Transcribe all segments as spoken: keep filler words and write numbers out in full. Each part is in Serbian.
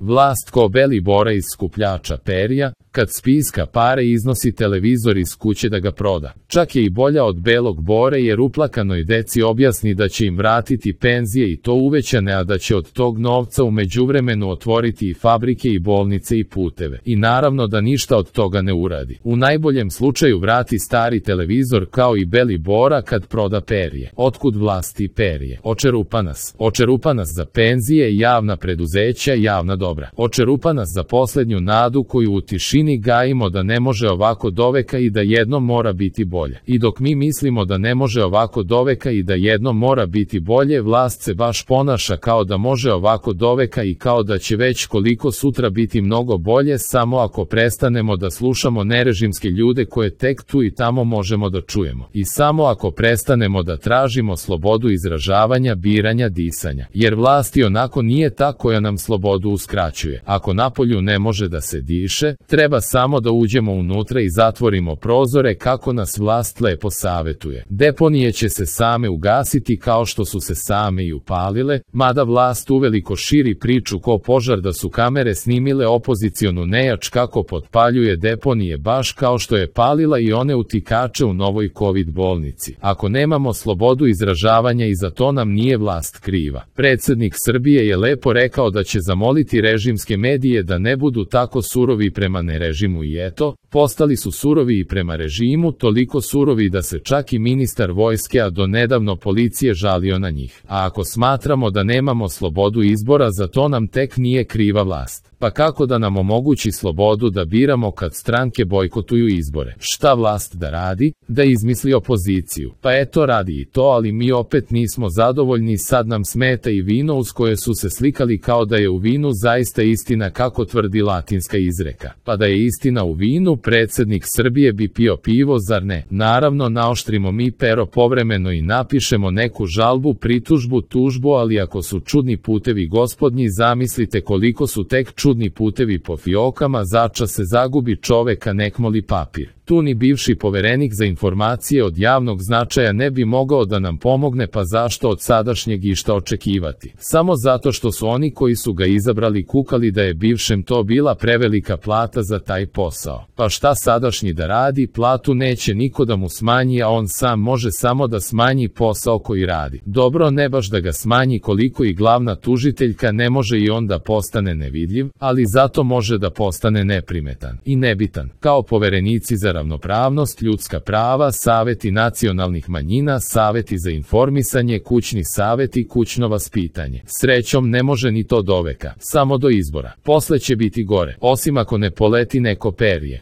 Vlast ko beli bora iz skupljača perja, kad spiska pare iznosi televizor iz kuće da ga proda. Čak je i bolja od belog bore jer uplakanoj deci objasni da će im vratiti penzije i to uvećane, a da će od tog novca u međuvremenu otvoriti i fabrike i bolnice i puteve. I naravno da ništa od toga ne uradi. U najboljem slučaju vrati stari televizor kao i beli bora kad proda perje. Otkud vlasti perje? Očerupa nas. Očerupa nas za penzije, javna preduzeća, javna dobra. Očerupa nas za poslednju nadu koju u tišini gajimo da ne može ovako doveka i da jednom mora biti bolje. I dok mi mislimo da ne može ovako doveka i da jednom mora biti bolje, vlast se baš ponaša kao da može ovako doveka i kao da će već koliko sutra biti mnogo bolje samo ako prestanemo da slušamo nerežimske ljude koje tek tu i tamo možemo da čujemo. I samo ako prestanemo da tražimo slobodu izražavanja, biranja, disanja. Jer vlast i onako nije ta koja nam slobodu uskraćuje. Ako napolju ne može da se diše, treba samo da uđemo unutra i zatvorimo prozore kako nas vlast lepo savetuje. Deponije će se same ugasiti kao što su se same i upalile, mada vlast uveliko širi priču ko požar da su kamere snimile opozicionu nejač kako potpaljuje deponije baš kao što je palila i one utikače u novoj COVID bolnici. Ako nemamo slobodu izražavanja i za to nam nije vlast kriva. Predsednik Srbije je lepo rekao da će zamoliti režimske medije da ne budu tako surovi prema nerežimu i eto, postali su surovi i prema režimu, toliko surovi da se čak i ministar vojske, a do nedavno policije, žalio na njih. A ako smatramo da nemamo slobodu izbora, za to nam tek nije kriva vlast. Pa kako da nam omogući slobodu da biramo kad stranke bojkotuju izbore? Šta vlast da radi? Da izmisli opoziciju. Pa eto radi i to, ali mi opet nismo zadovoljni, sad nam smeta i vino uz koje su se slikali kao da je u vinu zaista istina kako tvrdi latinska izreka. Pa da je istina u vinu, predsednik Srbije bi pio pivo, zar ne? Naravno, naoštrimo mi pero povremeno i napišemo neku žalbu, pritužbu, tužbu, ali ako su čudni putevi gospodnji, zamislite koliko su tek čudni putevi po fiokama, začas se zagubi čoveka, nek moli papir. Tu ni bivši poverenik za informacije od javnog značaja ne bi mogao da nam pomogne, pa zašto od sadašnjeg išta očekivati? Samo zato što su oni koji su ga izabrali kukali da je bivšem to bila prevelika plata za taj posao. Pa šta sadašnji da radi? Platu neće niko da mu smanji, a on sam može samo da smanji posao koji radi. Dobro, ne baš da ga smanji koliko i glavna tužiteljka ne može i on da postane nevidljiv, ali zato može da postane neprimetan i nebitan, kao poverenici za ravnopravnost, ljudska prava, saveti nacionalnih manjina, saveti za informisanje, kućni saveti, kućno vaspitanje. Srećom ne može ni to doveka, samo do izbora. Posle će biti gore, osim ako ne poleti neko perje.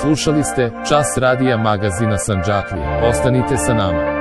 Slušali ste Čas radija magazina Sandžaklija. Ostanite sa nama.